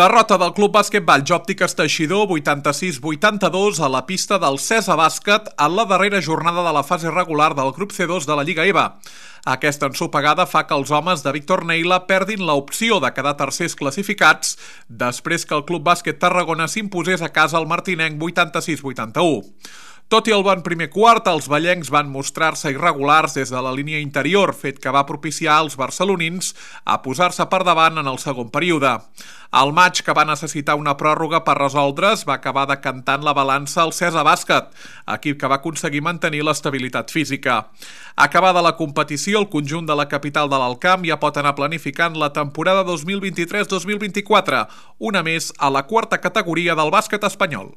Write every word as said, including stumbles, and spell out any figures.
Derrota del Club Bàsquetball Òptiques Teixidor vuitanta-sis a vuitanta-dos a la pista del Cesa Bàsquet en la darrera jornada de la fase regular del grup C dos de la Lliga EVA. Aquesta ensopegada fa que els homes de Víctor Neila perdin l'opció de quedar tercers classificats després que el Club Bàsquet Tarragona s'imposés a casa al martinenc vuitanta-sis a vuitanta-u. Tot i el bon primer quart, els ballencs van mostrar-se irregulars des de la línia interior, fet que va propiciar als barcelonins a posar-se per davant en el segon període. El maig, que va necessitar una pròrroga per resoldre's, va acabar decantant la balança al Cesa Bàsquet, equip que va aconseguir mantenir l'estabilitat física. Acabada la competició, el conjunt de la capital de l'Alt Camp ja pot anar planificant la temporada dos mil vint-i-tres dos mil vint-i-quatre, una més a la quarta categoria del bàsquet espanyol.